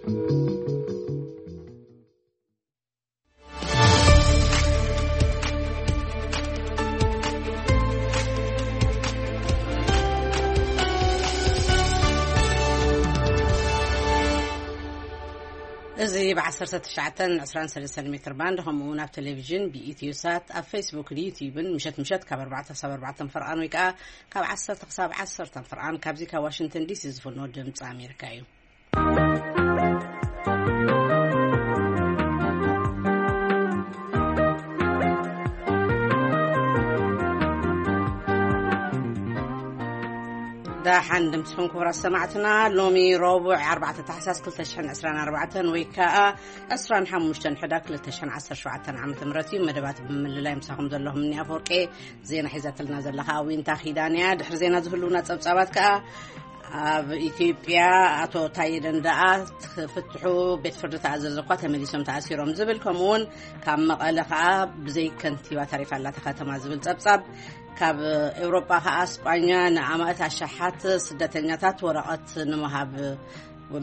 እዚ ብ19 20 23 ሜትር ባንድ፣ ከምኡ እውን ኣብ ቴሌቪዥን ብኢትዮ ሳት፣ ኣብ ፌስቡክ፣ ዩቲዩብን ምሸት ምሸት ካብ ኣርባዕተ ክሳብ ኣርባዕተ ፈርቓን ወይ ከዓ ካብ ዓሰርተ ክሳብ ዓሰርተ ፈርቓን ካብዚ ካብ ዋሽንግተን ዲሲ ዝፍኖ ድምፂ ኣሜሪካ እዩ። ደሓን ድምፅኹም ክቡራት ሰማዕትና። ሎሚ ረቡዕ ኣርባዕተ ታሕሳስ ክልተ ሽሕን ዕስራን ኣርባዕተን ወይ ከዓ ዕስራን ሓሙሽተን ሕዳር ክልተ ሽሕን ዓሰርተ ሸውዓተን ዓመተ ምህረት እዩ። መደባት ብምልላይ ምሳኹም ዘለኹም እኒ ኣፈወርቄ፣ ዜና ሒዛትልና ዘላ ከዓ ዊንታ ኪዳን እያ። ድሕሪ ዜና ዝህልውና ፀብፃባት ከዓ ኣብ ኢትዮጵያ ኣቶ ታዬ ደንደኣ ክፍትሑ ቤት ፍርዲ ተኣዘዘ እኳ ተመሊሶም ተኣሲሮም ዝብል፣ ከምኡውን ካብ መቐለ ከዓ ብዘይ ከንቲባ ተሪፋ ኣላ እታ ከተማ ዝብል ፀብፃብ፣ ካብ ኤውሮጳ ከዓ ስጳኛ ንኣማእት ኣሽሓት ስደተኛታት ወረቐት ንምሃብ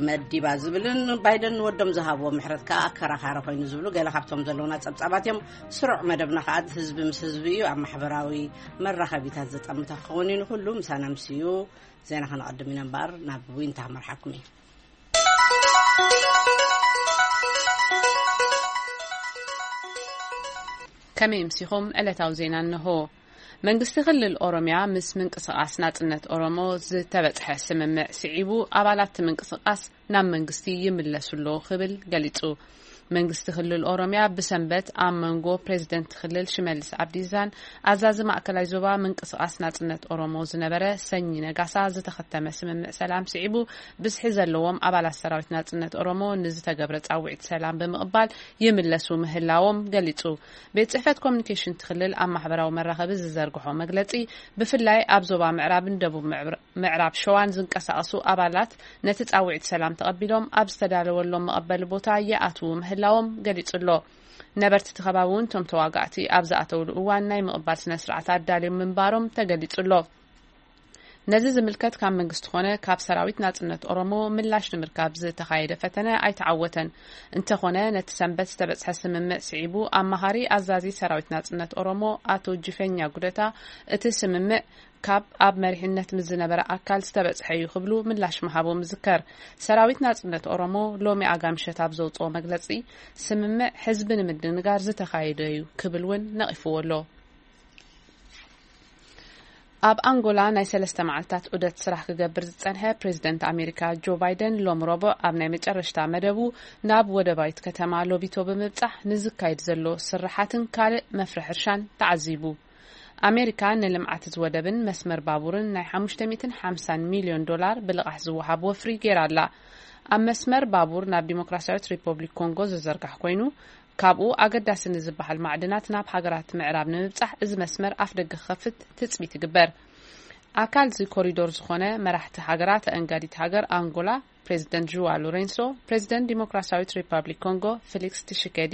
መዲባ ዝብልን ባይደን ንወዶም ዝሃብዎ ምሕረት ከዓ ኣከራኻሪ ኮይኑ ዝብሉ ገለ ካብቶም ዘለውና ፀብፃባት እዮም። ስሩዕ መደብና ከዓ ህዝቢ ምስ ህዝቢ እዩ። ኣብ ማሕበራዊ መራኸቢታት ዘጠምተ ክኸውን እዩ። ንኩሉ ምሳና ምስ እዩ። ዜና ከነቐድም ኢና እምበኣር ናብ ዊንታ ክመርሓኩም እዩ። ከመይ ምሲኹም? ዕለታዊ ዜና እንሆ። መንግስቲ ክልል ኦሮሚያ ምስ ምንቅስቓስ ናጽነት ኦሮሞ ዝተበጽሐ ስምምዕ ስዒቡ፣ ኣባላት እቲ ምንቅስቓስ ናብ መንግስቲ ይምለሱ ኣለዉ ክብል ገሊጹ። መንግስቲ ክልል ኦሮሚያ ብሰንበት ኣብ መንጎ ፕሬዚደንት ክልል ሽመልስ ኣብዲዛን ኣዛዚ ማእከላይ ዞባ ምንቅስቓስ ናጽነት ኦሮሞ ዝነበረ ሰኚ ነጋሳ ዝተኸተመ ስምምዕ ሰላም ስዒቡ፣ ብዝሒ ዘለዎም ኣባላት ሰራዊት ናጽነት ኦሮሞ ንዝተገብረ ጻውዒት ሰላም ብምቕባል ይምለሱ ምህላዎም ገሊጹ። ቤት ጽሕፈት ኮሚኒኬሽን እቲ ክልል ኣብ ማሕበራዊ መራኸቢ ዝዘርግሖ መግለጺ፣ ብፍላይ ኣብ ዞባ ምዕራብን ደቡብ ምዕብር-፣ ምዕራብ ሸዋን ዝንቀሳቐሱ ኣባላት ነቲ ጻውዒት ሰላም ተቐቢሎም ኣብ ዝተዳለወሎም መቐበሊ ቦታ ይኣትዉ ምህላዎም ገሊጹ ኣሎ። ነበርቲ እቲ ከባቢ እውን እቶም ተዋጋእቲ ኣብ ዝኣተውሉ እዋን ናይ ምቕባል ስነ ስርዓት ኣዳልዮም ምንባሮም ተገሊጹ ኣሎ። ነዚ ዝምልከት ካብ መንግስቲ ኾነ ካብ ሰራዊት ናጽነት ኦሮሞ ምላሽ ንምርካብ ዝተኻየደ ፈተነ ኣይተዓወተን። እንተኾነ፣ ነቲ ሰንበት ዝተበጽሐ ስምምዕ ስዒቡ፣ ኣማኻሪ ኣዛዚ ሰራዊት ናጽነት ኦሮሞ ኣቶ ጅፈኛ ጉደታ፣ እቲ ስምምዕ ካብ ኣብ መሪሕነት ምስ ዝነበረ ኣካል ዝተበጽሐ እዩ ክብሉ ምላሽ ምሃቦም ይዝከር። ሰራዊት ናጽነት ኦሮሞ ሎሚ ኣጋምሸት ኣብ ዘውጽኦ መግለጺ፣ ስምምዕ ህዝቢ ንምድንጋር ዝተኻየደ እዩ ክብል እውን ነቒፍዎ ኣሎ። ኣብ ኣንጎላ ናይ ሰለስተ መዓልታት ዑደት ስራሕ ክገብር ዝጸንሐ ፕሬዚደንት ኣሜሪካ ጆ ባይደን፣ ሎም ረቡዕ ኣብ ናይ መጨረሽታ መደቡ ናብ ወደባዊት ከተማ ሎቢቶ ብምብጻሕ፣ ንዝካየድ ዘሎ ስራሓትን ካልእ መፍረ ሕርሻን ተዓዚቡ። ኣሜሪካ ንልምዓት እዚ ወደብን መስመር ባቡርን ናይ ሓሙሽተ ሚእትን ሓምሳን ሚልዮን ዶላር ብልቓሕ ዝወሃብ ወፍሪ ገይራ ኣላ። ኣብ መስመር ባቡር ናብ ዲሞክራሲያዊት ሪፐብሊክ ኮንጎ ዝዘርጋሕ ኮይኑ፣ ካብኡ ኣገዳሲ ንዝበሃል ማዕድናት ናብ ሃገራት ምዕራብ ንምብጻሕ፣ እዚ መስመር ኣፍ ደገ ክኸፍት ትጽቢት ይግበር። ኣካል እዚ ኮሪዶር ዝኾነ መራሕቲ ሃገራት፣ ኣእንጋዲት ሃገር ኣንጎላ ፕሬዚደንት ዥዋ ሎሬንሶ፣ ፕሬዚደንት ዲሞክራሲያዊት ሪፐብሊክ ኮንጎ ፊሊክስ ቲሽኬዲ፣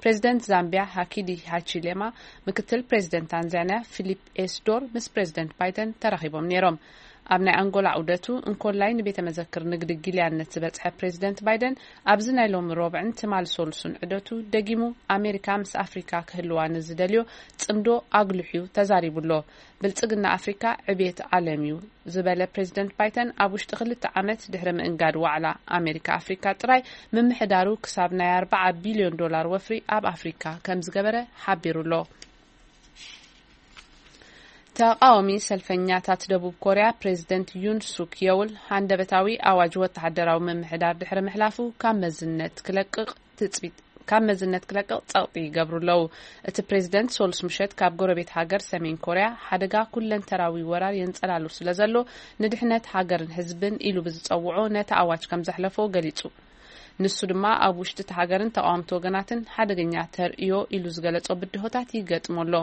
ፕሬዚደንት ዛምቢያ ሃኪዲ ሃቺሌማ፣ ምክትል ፕሬዚደንት ታንዛኒያ ፊሊፕ ኤስዶር ምስ ፕሬዚደንት ባይደን ተራኺቦም ነይሮም። ኣብ ናይ ኣንጎላ ዑደቱ እንኮላይ ንቤተ መዘክር ንግዲ ጊልያነት ዝበጽሐ ፕሬዚደንት ባይደን፣ ኣብዚ ናይ ሎሚ ሮብዕን ትማል ሶሉስን ዑደቱ ደጊሙ ኣሜሪካ ምስ ኣፍሪካ ክህልዋ ንዝደልዮ ጽምዶ ኣጉሊሑ ተዛሪቡ ኣሎ። ብልጽግና ኣፍሪካ ዕብየት ዓለም እዩ ዝበለ ፕሬዚደንት ባይደን፣ ኣብ ውሽጢ ክልተ ዓመት ድሕሪ ምእንጋድ ዋዕላ ኣሜሪካ ኣፍሪካ ጥራይ፣ ምምሕዳሩ ክሳብ ናይ ኣርባዓ ቢልዮን ዶላር ወፍሪ ኣብ ኣፍሪካ ከም ዝገበረ ሓቢሩ ኣሎ። ተቓዋሚ ሰልፈኛታት ደቡብ ኮርያ፣ ፕሬዚደንት ዩን ሱክ የውል ሃንደበታዊ ኣዋጅ ወተሃደራዊ ምምሕዳር ድሕሪ ምሕላፉ፣ ካብ መዝነት ክለቅቕ ትጽቢት ካብ መዝነት ክለቅቕ ጸቕጢ ይገብሩ ኣለዉ። እቲ ፕሬዚደንት ሶሉስ ምሸት ካብ ጎረቤት ሃገር ሰሜን ኮርያ ሓደጋ ኩለንተራዊ ወራር የንጸላሉ ስለ ዘሎ፣ ንድሕነት ሃገርን ህዝብን ኢሉ ብዝጸውዖ ነቲ ኣዋጅ ከም ዘሕለፎ ገሊጹ። ንሱ ድማ ኣብ ውሽጢ እቲ ሃገርን ተቓወምቲ ወገናትን ሓደገኛ ተርእዮ ኢሉ ዝገለጾ ብድሆታት ይገጥሞ ኣሎ።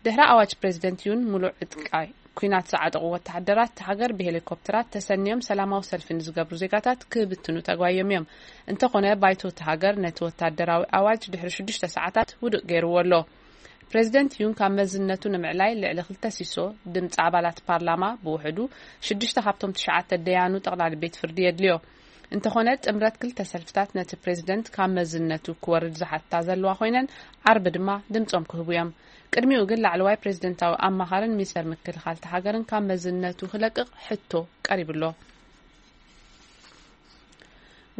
ድሕሪ ኣዋጅ ፕሬዚደንት ዩን፣ ሙሉእ ዕጥቃይ ኲናት ዝዓጠቑ ወተሃደራት እታ ሃገር ብሄሊኮፕተራት ተሰንዮም ሰላማዊ ሰልፊ ንዝገብሩ ዜጋታት ክብትኑ ተጓዮም እዮም። እንተኾነ፣ ባይቶ እታ ሃገር ነቲ ወታደራዊ ኣዋጅ ድሕሪ ሽዱሽተ ሰዓታት ውድቕ ገይርዎ ኣሎ። ፕሬዚደንት ዩን ካብ መዝነቱ ንምዕላይ ልዕሊ ክልተ ሲሶ ድምፂ ኣባላት ፓርላማ፣ ብውሕዱ ሽዱሽተ ካብቶም ትሽዓተ ደያኑ ጠቕላሊ ቤት ፍርዲ የድልዮ። እንተኾነ ጥምረት ክልተ ሰልፍታት ነቲ ፕሬዝደንት ካብ መዝነቱ ክወርድ ዝሓታ ዘለዋ ኮይነን፣ ዓርቢ ድማ ድምጾም ክህቡ እዮም። ቅድሚኡ ግን ላዕለዋይ ፕሬዝደንታዊ ኣማኻርን ሚኒስተር ምክልኻል እታ ሃገርን ካብ መዝነቱ ክለቅቕ ሕቶ ቀሪቡሎ።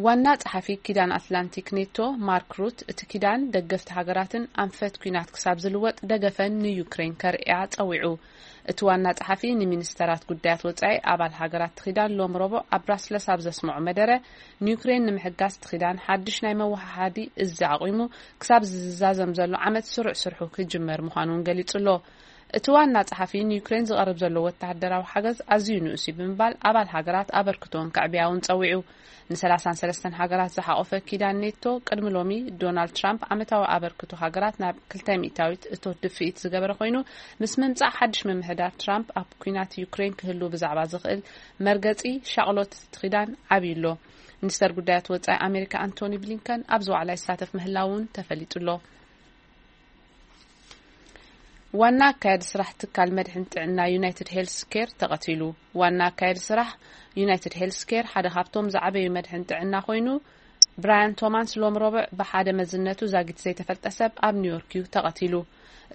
ዋና ጸሓፊ ኪዳን ኣትላንቲክ ኔቶ ማርክ ሩት፣ እቲ ኪዳን ደገፍቲ ሃገራትን ኣንፈት ኲናት ክሳብ ዝልወጥ ደገፈን ንዩክሬን ከርእያ ጸዊዑ። እቲ ዋና ጸሓፊ ንሚኒስተራት ጉዳያት ወጻኢ ኣባል ሃገራት እቲ ኪዳን ሎም ረቡዕ ኣብ ብራስለስ ኣብ ዘስምዖ መደረ፣ ንዩክሬን ንምሕጋዝ እቲ ኪዳን ሓድሽ ናይ መወሃሃዲ እዚ ኣቑሙ ክሳብ ዝዛዘም ዘሎ ዓመት ስሩዕ ስርሑ ክጅመር ምዃኑ እውን ገሊጹ ኣሎ። እቲ ዋና ጸሓፊ ንዩክሬን ዝቐርብ ዘሎ ወተሃደራዊ ሓገዝ ኣዝዩ ንኡስ እዩ ብምባል ኣባል ሃገራት ኣበርክቶን ከዕብያ እውን ጸዊዑ። ን33 ሃገራት ዝሓቖፈ ኪዳን ኔቶ ቅድሚ ሎሚ ዶናልድ ትራምፕ ዓመታዊ ኣበርክቶ ሃገራት ናብ ክልተ ሚእታዊት እቶት ድፍኢት ዝገበረ ኮይኑ፣ ምስ ምምጻእ ሓድሽ ምምሕዳር ትራምፕ ኣብ ኲናት ዩክሬን ክህሉ ብዛዕባ ዝኽእል መርገጺ ሻቕሎት እቲ ኪዳን ዓብዩ ኣሎ። ሚኒስተር ጉዳያት ወጻኢ ኣሜሪካ ኣንቶኒ ብሊንከን ኣብዚ ዋዕላ ይሳተፍ ምህላው እውን ተፈሊጡ ኣሎ። ዋና ኣካያዲ ስራሕ ትካል መድሕን ጥዕና ዩናይትድ ሄልስ ኬር ተቐቲሉ። ዋና ኣካያዲ ስራሕ ዩናይትድ ሄልስ ኬር ሓደ ካብቶም ዝዓበዩ መድሕን ጥዕና ኮይኑ፣ ብራያን ቶማስ ሎም ረቡዕ ብሓደ መዝነቱ ዛጊት ዘይተፈልጠ ሰብ ኣብ ኒውዮርክ እዩ ተቐቲሉ።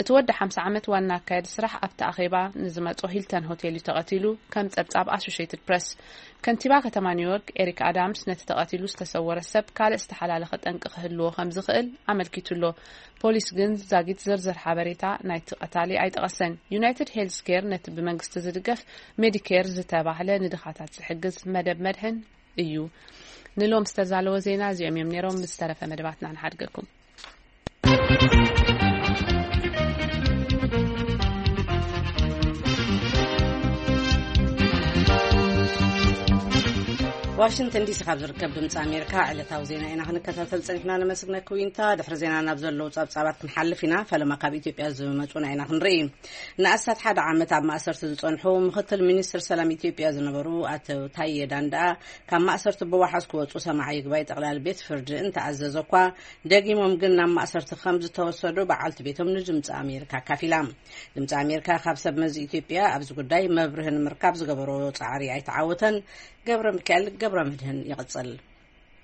እቲ ወዲ ሓምሳ ዓመት ዋና ኣካያዲ ስራሕ ኣብቲ ኣኼባ ንዝመጾ ሂልተን ሆቴል እዩ ተቐቲሉ፣ ከም ጸብጻብ ኣሶሼትድ ፕረስ። ከንቲባ ከተማ ኒውዮርክ ኤሪክ ኣዳምስ ነቲ ተቐቲሉ ዝተሰወረ ሰብ ካልእ ዝተሓላለኸ ጠንቂ ክህልዎ ከም ዝኽእል ኣመልኪቱ ኣሎ። ፖሊስ ግን ዛጊት ዝርዝር ሓበሬታ ናይቲ ቀታሊ ኣይጠቐሰን። ዩናይትድ ሄልስ ኬር ነቲ ብመንግስቲ ዝድገፍ ሜዲኬር ዝተባህለ ንድኻታት ዝሕግዝ መደብ መድሕን እዩ። ንሎም ዝተዛለወ ዜና እዚኦም እዮም ነይሮም። ብዝተረፈ መደባትና ንሓድገኩም። ዋሽንግተን ዲሲ ካብ ዝርከብ ድምፂ ኣሜሪካ ዕለታዊ ዜና ኢና ክንከታተል ፀኒሕና። ነመስግነኪ ዊንታ። ድሕሪ ዜና ናብ ዘለዉ ፀብፃባት ክንሓልፍ ኢና። ፈለማ ካብ ኢትዮጵያ ዝመፁና ኢና ክንርኢ። ንኣስታት ሓደ ዓመት ኣብ ማእሰርቲ ዝፀንሑ ምክትል ሚኒስትር ሰላም ኢትዮጵያ ዝነበሩ ኣቶ ታዬ ዳንዳ ካብ ማእሰርቲ ብዋሕስ ክወፁ ሰማዒ ይግባይ ጠቕላሊ ቤት ፍርዲ እንተኣዘዘ እኳ፣ ደጊሞም ግን ናብ ማእሰርቲ ከም ዝተወሰዱ በዓልቲ ቤቶም ንድምፂ ኣሜሪካ ኣካፊላ። ድምፂ ኣሜሪካ ካብ ሰብ መዚ ኢትዮጵያ ኣብዚ ጉዳይ መብርሂ ንምርካብ ዝገበሮ ፃዕሪ ኣይተዓወተን። ገብረ ሚካኤል ገብረ መድህን ይቕፅል።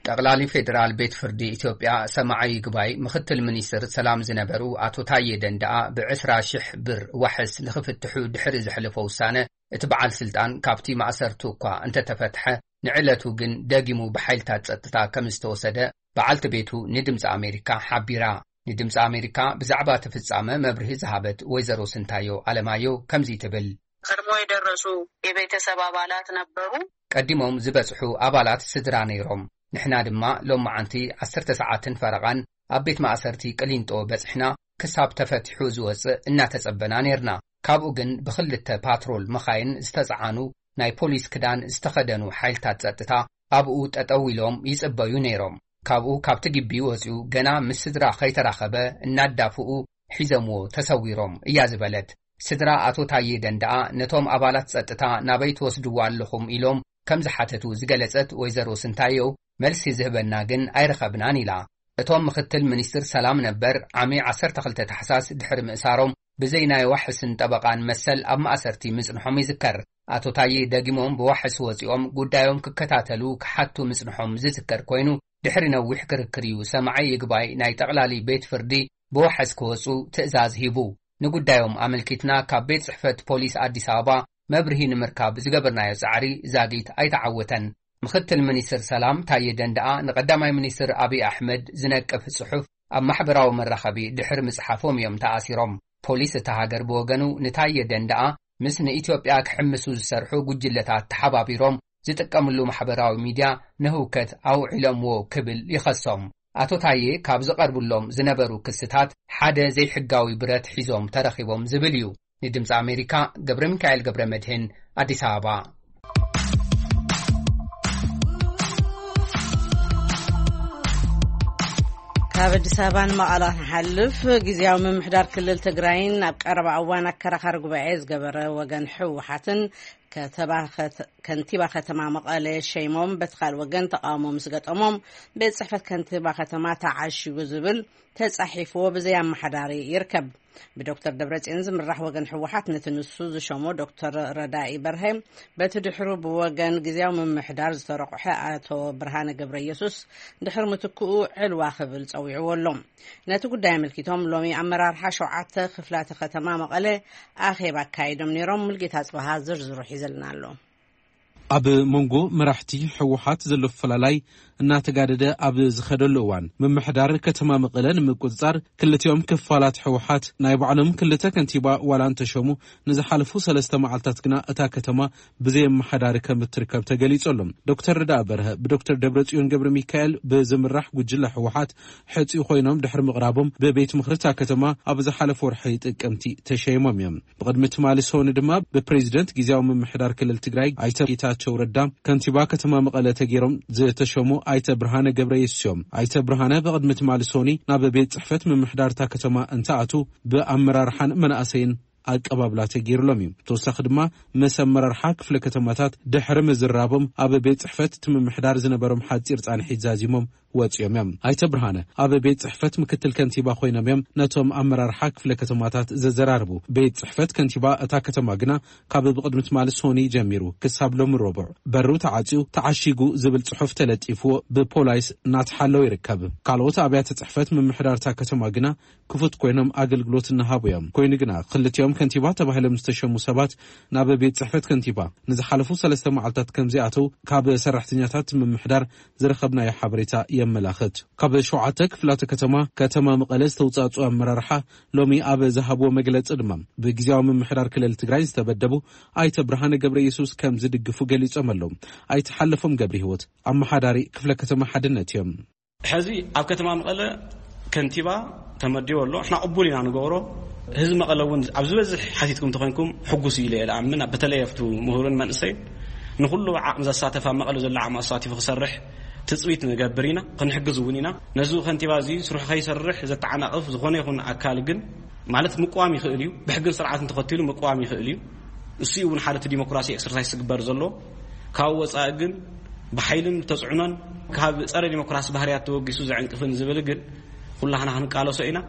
ጠቕላሊ ፌዴራል ቤት ፍርዲ ኢትዮጵያ ሰማዒ ይግባይ ምክትል ሚኒስትር ሰላም ዝነበሩ ኣቶ ታዬ ደንደኣ ብ20 ሺሕ ብር ዋሕስ ንክፍትሑ ድሕሪ ዘሕለፎ ውሳነ፣ እቲ በዓል ስልጣን ካብቲ ማእሰርቱ እኳ እንተተፈትሐ፣ ንዕለቱ ግን ደጊሙ ብሓይልታት ጸጥታ ከም ዝተወሰደ በዓልቲ ቤቱ ንድምፂ ኣሜሪካ ሓቢራ። ንድምፂ ኣሜሪካ ብዛዕባ እቲ ፍጻመ መብርሂ ዝሃበት ወይዘሮ ስንታዮ ኣለማዮ ከምዚ ትብል። ቀድሞ የደረሱ የቤተሰብ ኣባላት ነበሩ። ቀዲሞም ዝበጽሑ ኣባላት ስድራ ነይሮም። ንሕና ድማ ሎም መዓንቲ ዓሰርተ ሰዓትን ፈረቓን ኣብ ቤት ማእሰርቲ ቅሊንጦ በጽሕና፣ ክሳብ ተፈቲሑ ዝወጽእ እናተጸበና ነይርና። ካብኡ ግን ብኽልተ ፓትሮል መኻይን ዝተጸዓኑ ናይ ፖሊስ ክዳን ዝተኸደኑ ሓይልታት ጸጥታ ኣብኡ ጠጠው ኢሎም ይጽበዩ ነይሮም። ካብኡ ካብቲ ግቢ ወጺኡ ገና ምስ ስድራ ከይተራኸበ እናዳፍኡ ሒዞምዎ ተሰዊሮም እያ ዝበለት። ስድራ ኣቶ ታዬ ደንደኣ ነቶም ኣባላት ጸጥታ ናበይ ትወስድዎ ኣለኹም ኢሎም ከም ዝሓተቱ ዝገለጸት ወይዘሮ ስንታየው፣ መልሲ ዝህበና ግን ኣይረኸብናን ኢላ። እቶም ምክትል ሚኒስትር ሰላም ነበር ዓሚ ዓሰርተ ክልተ ታሕሳስ ድሕሪ ምእሳሮም ብዘይ ናይ ዋሕስን ጠበቓን መሰል ኣብ ማእሰርቲ ምጽንሖም ይዝከር። ኣቶ ታዬ ደጊሞም ብዋሕስ ወጺኦም ጉዳዮም ክከታተሉ ክሓቱ ምጽንሖም ዝዝከር ኮይኑ፣ ድሕሪ ነዊሕ ክርክር እዩ ሰማዒ ይግባይ ናይ ጠቕላሊ ቤት ፍርዲ ብዋሕስ ክወጹ ትእዛዝ ሂቡ። ንጉዳዮም ኣመልኪትና ካብ ቤት ጽሕፈት ፖሊስ ኣዲስ ኣበባ መብርሂ ንምርካብ ዝገበርናዮ ጻዕሪ ዛጊት ኣይተዓወተን። ምክትል ሚኒስትር ሰላም ታዬ ደንደኣ ንቀዳማይ ሚኒስትር ኣብይ ኣሕመድ ዝነቅፍ ጽሑፍ ኣብ ማሕበራዊ መራኸቢ ድሕሪ ምጽሓፎም እዮም ተኣሲሮም። ፖሊስ እታ ሃገር ብወገኑ ንታዬ ደንደኣ ምስ ንኢትዮጵያ ክሕምሱ ዝሰርሑ ጉጅለታት ተሓባቢሮም ዝጥቀምሉ ማሕበራዊ ሚድያ ንህውከት ኣውዒሎምዎ ክብል ይኸሶም። ኣቶ ታዬ ካብ ዝቐርብሎም ዝነበሩ ክስታት ሓደ ዘይሕጋዊ ብረት ሒዞም ተረኺቦም ዝብል እዩ። ንድምፂ ኣሜሪካ ገብረ ሚካኤል ገብረ መድህን፣ ኣዲስ ኣበባ። ካብ ኣዲስ ኣበባ ንመቐለ ክንሓልፍ፣ ግዝያዊ ምምሕዳር ክልል ትግራይን ኣብ ቀረባ እዋን ኣከራኻሪ ጉባኤ ዝገበረ ወገን ህወሓትን ከተባ ከተ-፣ ከንቲባ ከተማ መቐለ ሸይሞም፣ በቲ ካልእ ወገን ተቃውሞ ምስ ገጠሞም፣ ቤት ጽሕፈት ከንቲባ ከተማ ተዓሺጉ ዝብል ተጻሒፍዎ ብዘይ ኣመሓዳሪ ይርከብ። ብዶክተር ደብረጽዮን ዝምራሕ ወገን ህወሓት ነቲ ንሱ ዝሸሞ ዶክተር ረዳኢ በርሀ፣ በቲ ድሕሩ ብወገን ግዝያዊ ምምሕዳር ዝተረቑሐ ኣቶ ብርሃነ ገብረ ኢየሱስ ድሕሪ ምትክኡ ዕልዋ ክብል ጸዊዕዎ ኣሎ። ነቲ ጉዳይ ኣመልኪቶም ሎሚ ኣመራርሓ ሸውዓተ ክፍላተ ከተማ መቐለ ኣኼባ ኣካይዶም ነይሮም። ሙልጌታ ጽበሃ ዝርዝሩ ሒዘልና ኣሎ። ኣብ መንጎ መራሕቲ ህወሓት ዘሎ ፈላላይ እናተጋደደ ኣብ ዝኸደሉ እዋን፣ ምምሕዳር ከተማ መቐለ ንምቁጽጻር ክልቲኦም ክፋላት ህወሓት ናይ ባዕሎም ክልተ ከንቲባ ዋላ እንተሸሙ፣ ንዝሓለፉ ሰለስተ መዓልታት ግና እታ ከተማ ብዘይ ኣመሓዳሪ ከም እትርከብ ተገሊጹ ኣሎ። ዶክተር ረዳኢ በርሀ ብዶክተር ደብረጽዮን ገብረ ሚካኤል ብዝምራሕ ጉጅለ ህወሓት ሕጺ ኮይኖም ድሕሪ ምቕራቦም፣ ብቤት ምኽሪ እታ ከተማ ኣብ ዝሓለፈ ወርሒ ጥቅምቲ ተሸይሞም እዮም። ብቕድሚ ትማሊ ሰኑይ ድማ ብፕሬዚደንት ግዝያዊ ምምሕዳር ክልል ትግራይ ኣይተ ጌታቸው ረዳ ከንቲባ ከተማ መቐለ ተገይሮም ዝተሸሙ ኣይተ ብርሃነ ገብረ የሱስ እዮም። ኣይተ ብርሃነ ብቕድሚ ትማሊ ሰኑይ ናብ ቤት ጽሕፈት ምምሕዳር እታ ከተማ እንትኣቱ ብኣመራርሓን መናእሰይን ኣቀባብላ ተገይሩሎም እዩ። ተወሳኺ ድማ ምስ ኣመራርሓ ክፍለ ከተማታት ድሕሪ ምዝራቦም ኣብ ቤት ጽሕፈት እቲ ምምሕዳር ዝነበሮም ሓጺር ጻንሒት ዛዚሞም ወጺኦም እዮም። ኣይተ ብርሃነ ኣብ ቤት ጽሕፈት ምክትል ከንቲባ ኮይኖም እዮም ነቶም ኣመራርሓ ክፍለ ከተማታት ዘዘራርቡ። ቤት ጽሕፈት ከንቲባ እታ ከተማ ግና ካብ ብቕድሚ ትማሊ ሰኑይ ጀሚሩ ክሳብ ሎሚ ረቡዕ በሩ ተዓጽዩ፣ ተዓሺጉ ዝብል ጽሑፍ ተለጢፍዎ ብፖላይስ እናተሓለወ ይርከብ። ካልኦት ኣብያተ ጽሕፈት ምምሕዳር እታ ከተማ ግና ክፉት ኮይኖም ኣገልግሎት እናሃቡ እዮም። ኮይኑ ግና ክልቲኦም ከንቲባ ተባሂሎም ዝተሸሙ ሰባት ናብ ቤት ጽሕፈት ከንቲባ ንዝሓለፉ ሰለስተ መዓልታት ከም ዘይኣተው ካብ ሰራሕተኛታት ምምሕዳር ዝረኸብናዮ ሓበሬታ የመላኽት። ካብ ሸውዓተ ክፍላተ ከተማ ከተማ መቐለ ዝተውጻጹ ኣመራርሓ ሎሚ ኣብ ዝሃብዎ መግለጺ ድማ ብግዝያዊ ምምሕዳር ክልል ትግራይ ዝተበደቡ ኣይተ ብርሃነ ገብረ የሱስ ከም ዝድግፉ ገሊጾም ኣለዉ። ኣይተ ሓለፎም ገብረ ህይወት ኣመሓዳሪ ክፍለ ከተማ ሓድነት እዮም። ሕዚ ኣብ ከተማ መቐለ ከንቲባ ተመዲቡ ኣሎ። ንሕና ቅቡል ኢና ንገብሮ። ህዝቢ መቐለ እውን ኣብ ዝበዝሕ ሓቲትኩም እንተኾይንኩም ሕጉስ እዩ ኢለ እየ ዝኣምን። በተለይ ኣብቲ ምሁርን መንእሰይን ንኹሉ ዓቕሚ ዘሳተፍ ኣብ መቐለ ዘሎ ዓቕሚ ኣሳቲፉ ክሰርሕ ትጽቢት ንገብር ኢና፣ ክንሕግዝ እውን ኢና። ነዚ ከንቲባ እዚ ስርሑ ከይሰርሕ ዘተዓናቕፍ ዝኾነ ይኹን ኣካል ግን ማለት ምቅዋም ይኽእል እዩ። ብሕግን ስርዓትን ተኸቲሉ ምቅዋም ይኽእል እዩ። እሱ እውን ሓደ እቲ ዲሞክራሲ ኤክሰርሳይስ ዝግበር ዘሎ። ካብ ወጻኢ ግን ብሓይልን ተጽዕኖን ካብ ጸረ ዲሞክራሲ ባህርያት ተወጊሱ ዘዕንቅፍን ዝብል ግን ኩላህና ክንቃለሶ ኢና።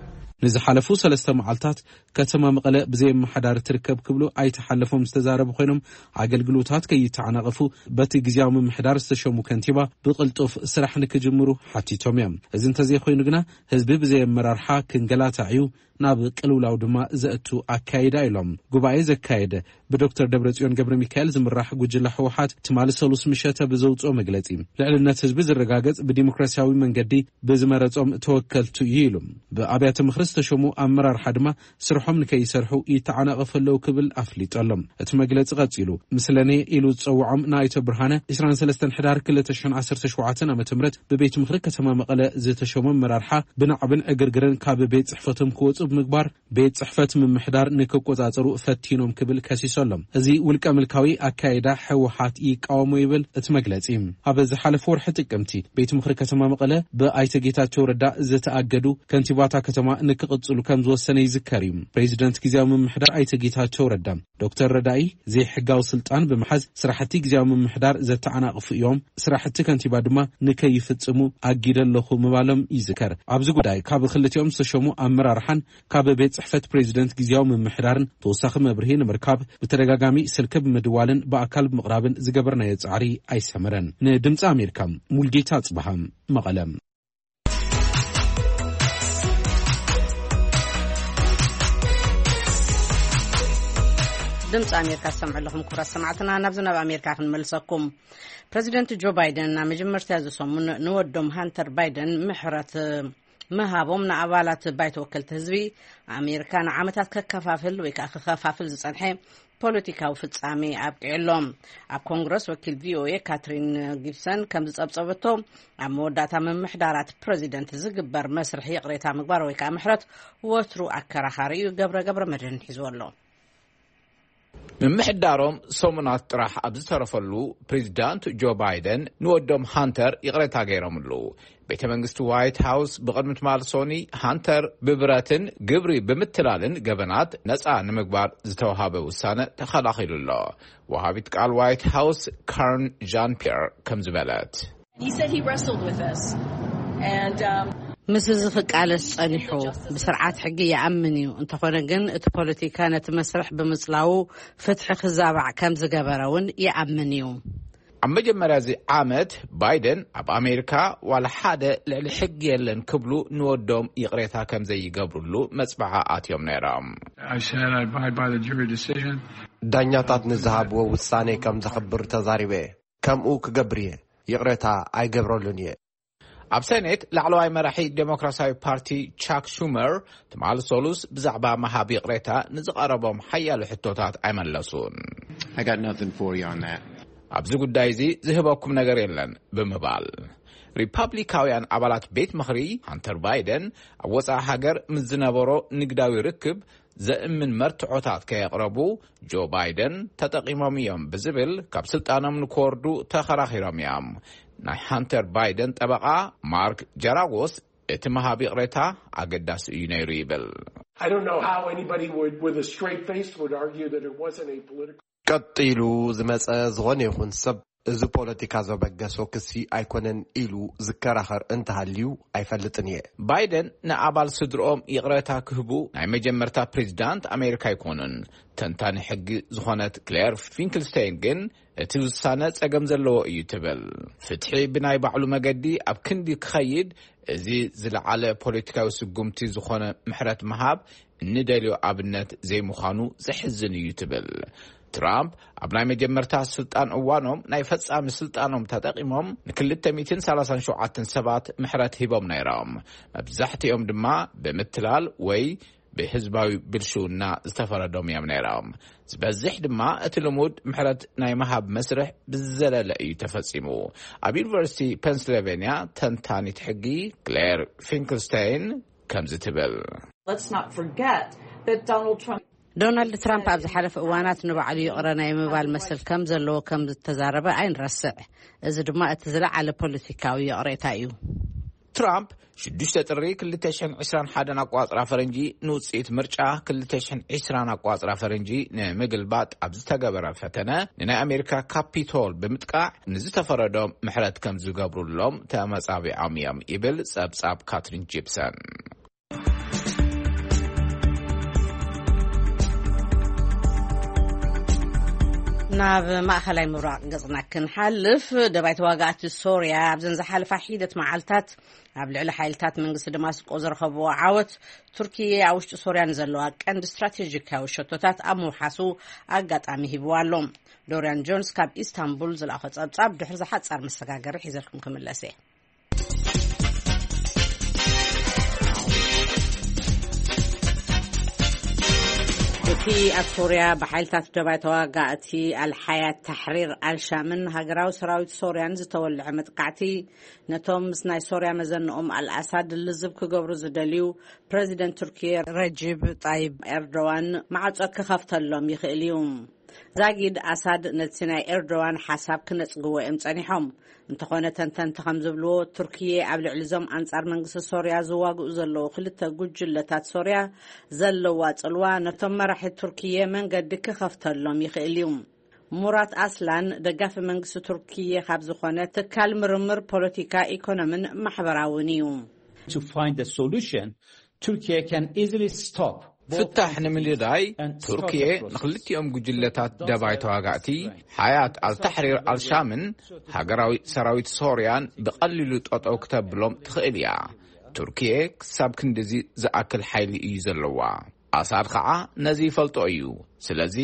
ንዝሓለፉ ሰለስተ መዓልታት ከተማ መቐለ ብዘይ ኣመሓዳሪ ትርከብ ክብሉ ኣይተ ሓለፎም ዝተዛረቡ ኮይኖም፣ ኣገልግሎታት ከይተዓናቐፉ በቲ ግዝያዊ ምምሕዳር ዝተሸሙ ከንቲባ ብቕልጡፍ ስራሕ ንክጅምሩ ሓቲቶም እዮም። እዚ እንተዘይኮይኑ ግና ህዝቢ ብዘይ ኣመራርሓ ክንገላታዕ እዩ፣ ናብ ቅልውላው ድማ ዘእቱ ኣካይዳ ኢሎም። ጉባኤ ዘካየደ ብዶክተር ደብረጽዮን ገብረ ሚካኤል ዝምራሕ ጉጅለ ህወሓት ትማሊ ሰሉስ ምሸተ ብዘውፅኦ መግለጺ፣ ልዕልነት ህዝቢ ዝረጋገጽ ብዲሞክራሲያዊ መንገዲ ብዝመረጾም ተወከልቱ እዩ ኢሉ። ብኣብያተ ምኽሪ ዝተሸሙ ኣመራርሓ ድማ ስርሖም ንከይሰርሑ ይተዓናቐፉ ኣለዉ ክብል ኣፍሊጡ ኣሎ። እቲ መግለጺ ቀጺሉ፣ ምስለኔ ኢሉ ዝጸውዖም ንኣይተ ብርሃነ ዕስራን ሰለስተን ሕዳር ክልተ ሽሕን ዓሰርተ ሸውዓተን ዓመተ ምህረት ብቤት ምኽሪ ከተማ መቐለ ዝተሸሙ ኣመራርሓ ብናዕብን ዕግርግርን ካብ ቤት ጽሕፈቶም ክወጹ ብምግባር ቤት ጽሕፈት ምምሕዳር ንክቆጻጸሩ ፈቲኖም ክብል ከሲሱ ኣሎ። እዚ ውልቀ ምልካዊ ኣካይዳ ህወሓት ይቃወሞ ይብል እቲ መግለጺ። ኣብ ዝሓለፈ ወርሒ ጥቅምቲ ቤት ምኽሪ ከተማ መቐለ ብኣይተ ጌታቸው ረዳ ዝተኣገዱ ከንቲባታ ከተማ ንክቕጽሉ ከም ዝወሰነ ይዝከር እዩ። ፕሬዚደንት ግዝያዊ ምምሕዳር ኣይተ ጌታቸው ረዳ ዶክተር ረዳኢ ዘይሕጋዊ ስልጣን ብምሓዝ ስራሕቲ ግዝያዊ ምምሕዳር ዘተዓናቕፉ እዮም፣ ስራሕቲ ከንቲባ ድማ ንከይፍጽሙ ኣጊደ ኣለኹ ምባሎም ይዝከር። ኣብዚ ጉዳይ ካብ ክልቲኦም ዝተሸሙ ኣመራርሓን ካብ ቤት ጽሕፈት ፕሬዚደንት ግዝያዊ ምምሕዳርን ተወሳኺ መብርሂ ንምርካብ ብተደጋጋሚ ስልኪ ብምድዋልን ብኣካል ብምቕራብን ዝገበርናዮ ጻዕሪ ኣይሰመረን። ንድምጺ ኣሜሪካ ሙልጌታ ጽበሃ መቐለ። ድምፂ ኣሜሪካ ዝሰምዑ ኣለኹም ክቡራት ሰማዕትና። ናብዚ ናብ ኣሜሪካ ክንመልሰኩም። ፕረዚደንት ጆ ባይደን ናብ መጀመርታ እዚ ሰሙን ንወዶም ሃንተር ባይደን ምሕረት ምሃቦም ንኣባላት ባይቶ ወከልቲ ህዝቢ ኣሜሪካ ንዓመታት ከከፋፍል ወይ ከዓ ክኸፋፍል ዝፀንሐ ፖለቲካዊ ፍጻሜ ኣብቂዑ ኣሎ። ኣብ ኮንግረስ ወኪል ቪኦኤ ካትሪን ጊብሰን ከም ዝጸብጸበቶ፣ ኣብ መወዳእታ ምምሕዳራት ፕረዚደንት ዝግበር መስርሕ ይቕሬታ ምግባር ወይ ከዓ ምሕረት ወትሩ ኣከራኻሪ እዩ። ገብረ ገብረ መድህን ሒዝዎ ኣሎ። ምምሕዳሮም ሰሙናት ጥራሕ ኣብ ዝተረፈሉ፣ ፕሬዚዳንት ጆ ባይደን ንወዶም ሃንተር ይቕሬታ ገይሮምሉ። ቤተ መንግስቲ ዋይት ሃውስ ብቕድሚ ትማል ሶኒ፣ ሃንተር ብብረትን ግብሪ ብምትላልን ገበናት ነፃ ንምግባር ዝተውሃበ ውሳነ ተኸላኺሉ ኣሎ። ወሃቢት ቃል ዋይት ሃውስ ካርን ጃን ፒየር ከም ዝበለት፣ He said he wrestled with this. And um, ምስ እዚ ክቃለስ ጸኒሑ፣ ብስርዓት ሕጊ ይኣምን እዩ። እንተኾነ ግን፣ እቲ ፖለቲካ ነቲ መስርሕ ብምጽላዉ ፍትሒ ክዛባዕ ከም ዝገበረ እውን ይኣምን እዩ። ኣብ መጀመርያ እዚ ዓመት፣ ባይደን ኣብ ኣሜሪካ ዋላ ሓደ ልዕሊ ሕጊ የለን ክብሉ ንወዶም ይቕሬታ ከም ዘይገብሩሉ መጽብዓ ኣትዮም ነይሮም። I said I abide by the jury decision. ዳኛታት ንዝሃብዎ ውሳኔ ከም ዘኽብር ተዛሪበ። ከምኡ ክገብር እየ። ይቕሬታ ኣይገብረሉን እየ። ኣብ ሰኔት፣ ላዕለዋይ መራሒ ዴሞክራሲያዊ ፓርቲ ቻክ ሹመር ትማሊ ሰሉስ ብዛዕባ ምሃብ ይቕሬታ ንዝቐረቦም ሓያሎ ሕቶታት ኣይመለሱን። I got nothing for you on that. ኣብዚ ጉዳይ እዚ ዝህበኩም ነገር የለን ብምባል፣ ሪፓብሊካውያን ኣባላት ቤት ምኽሪ፣ ሃንተር ባይደን ኣብ ወፃኢ ሃገር ምስ ዝነበሮ ንግዳዊ ርክብ ዘእምን መርትዖታት ከየቕረቡ ጆ ባይደን ተጠቒሞም እዮም ብዝብል ካብ ስልጣኖም ንክወርዱ ተኸራኺሮም እዮም። ናይ ሃንተር ባይደን ጠበቓ ማርክ ጀራጎስ፣ እቲ ምሃብ ይቕሬታ ኣገዳሲ እዩ ነይሩ ይብል። I don't know how anybody would, with a straight face, would argue that it wasn't a political ቀጥ ኢሉ ዝመጸ ዝኾነ ይኹን ሰብ፣ እዚ ፖለቲካ ዘበገሶ ክሲ ኣይኮነን ኢሉ ዝከራኸር እንተሃልዩ ኣይፈልጥን እየ። ባይደን ንኣባል ስድርኦም ይቕሬታ ክህቡ ናይ መጀመርታ ፕሬዚዳንት ኣሜሪካ ኣይኮኑን። ተንታኒ ሕጊ ዝኾነት ክሌር ፊንክልስቴን ግን፣ እቲ ውሳነ ጸገም ዘለዎ እዩ ትብል። ፍትሒ ብናይ ባዕሉ መገዲ ኣብ ክንዲ ክኸይድ፣ እዚ ዝለዓለ ፖለቲካዊ ስጉምቲ ዝኾነ ምሕረት ምሃብ እንደልዮ ኣብነት ዘይምዃኑ ዘሕዝን እዩ ትብል። ትራምፕ ኣብ ናይ መጀመርታ ስልጣን እዋኖም ናይ ፈጻሚ ስልጣኖም ተጠቒሞም ን237 ሰባት ምሕረት ሂቦም ነይሮም። መብዛሕትኦም ድማ ብምትላል ወይ ብህዝባዊ ብልሽውና ዝተፈረዶም እዮም ነይሮም። ዝበዝሕ ድማ እቲ ልሙድ ምሕረት ናይ ምሃብ መስርሕ ብዝዘለለ እዩ ተፈጺሙ። ኣብ ዩኒቨርሲቲ ፔንስልቬንያ ተንታኒት ሕጊ ክሌር ፊንክልስቴን ከምዚ ትብል። Let's not forget that Donald Trump ዶናልድ ትራምፕ ኣብ ዝሓለፈ እዋናት ንባዕሉ ይቕረ ናይ ምባል መሰል ከም ዘለዎ ከም ዝተዛረበ ኣይንረስዕ። እዚ ድማ እቲ ዝለዓለ ፖለቲካዊ ይቕሬታ እዩ። ትራምፕ ሽዱሽተ ጥሪ ክልተ ሽሕን ዕስራን ሓደን ኣቋጽራ ፈረንጂ ንውጽኢት ምርጫ ክልተ ሽሕን ዕስራን ኣቋጽራ ፈረንጂ ንምግልባጥ ኣብ ዝተገበረ ፈተነ፣ ንናይ ኣሜሪካ ካፒቶል ብምጥቃዕ ንዝተፈረዶም ምሕረት ከም ዝገብሩሎም ተመጻቢዖም እዮም ይብል ጸብጻብ ካትሪን ጂፕሰን። ናብ ማእኸላይ ምብራቕ ገጽና ክንሓልፍ፣ ደባይ ተዋጋእቲ ሶርያ ኣብዘን ዝሓለፋ ሒደት መዓልታት ኣብ ልዕሊ ሓይልታት መንግስቲ ደማስቆ ዝረኸብዎ ዓወት፣ ቱርኪየ ኣብ ውሽጢ ሶርያ ንዘለዋ ቀንዲ ስትራቴጂካዊ ሸቶታት ኣብ ምውሓሱ ኣጋጣሚ ሂብዋ ኣሎ። ዶርያን ጆንስ ካብ ኢስታንቡል ዝለኣኾ ጸብጻብ፣ ድሕሪ ዝሓጻር መሰጋገሪ ሒዘልኩም ክምለስ እየ። እቲ ኣብ ሶርያ ብሓይልታት ደባይ ተዋጋእቲ ኣልሓያት ታሕሪር ኣልሻምን ሃገራዊ ሰራዊት ሶርያን ዝተወልዐ መጥቃዕቲ፣ ነቶም ምስ ናይ ሶርያ መዘንኦም ኣልኣሳድ ልዝብ ክገብሩ ዝደልዩ ፕረዚደንት ቱርኪየ ረጂብ ጣይብ ኤርዶዋን ማዕጾ ክኸፍተሎም ይኽእል እዩ። ዛጊድ ኣሳድ ነቲ ናይ ኤርዶዋን ሓሳብ ክነጽግዎ እዮም ጸኒሖም። እንተኾነ፣ ተንተንቲ ከም ዝብልዎ፣ ቱርኪየ ኣብ ልዕሊ እዞም ኣንጻር መንግስቲ ሶርያ ዝዋግኡ ዘለዉ ክልተ ጉጅለታት ሶርያ ዘለዋ ጽልዋ፣ ነቶም መራሒ ቱርኪየ መንገዲ ክኸፍተሎም ይኽእል እዩ። ሙራት ኣስላን ደጋፊ መንግስቲ ቱርኪየ ካብ ዝኾነ ትካል ምርምር ፖለቲካ፣ ኢኮኖምን ማሕበራውን እዩ። To find a solution, Turkey can easily stop ፍታሕ ንምንዳይ፣ ቱርኪየ ንክልቲኦም ጉጅለታት ደባይ ተዋጋእቲ ሓያት ኣልታሕሪር ኣልሻምን ሃገራዊ ሰራዊት ሶርያን ብቐሊሉ ጠጠው ክተብሎም ትኽእል እያ። ቱርኪየ ክሳብ ክንድዚ ዝኣክል ሓይሊ እዩ ዘለዋ። ኣሳድ ኸዓ ነዚ ይፈልጦ እዩ። ስለዚ፣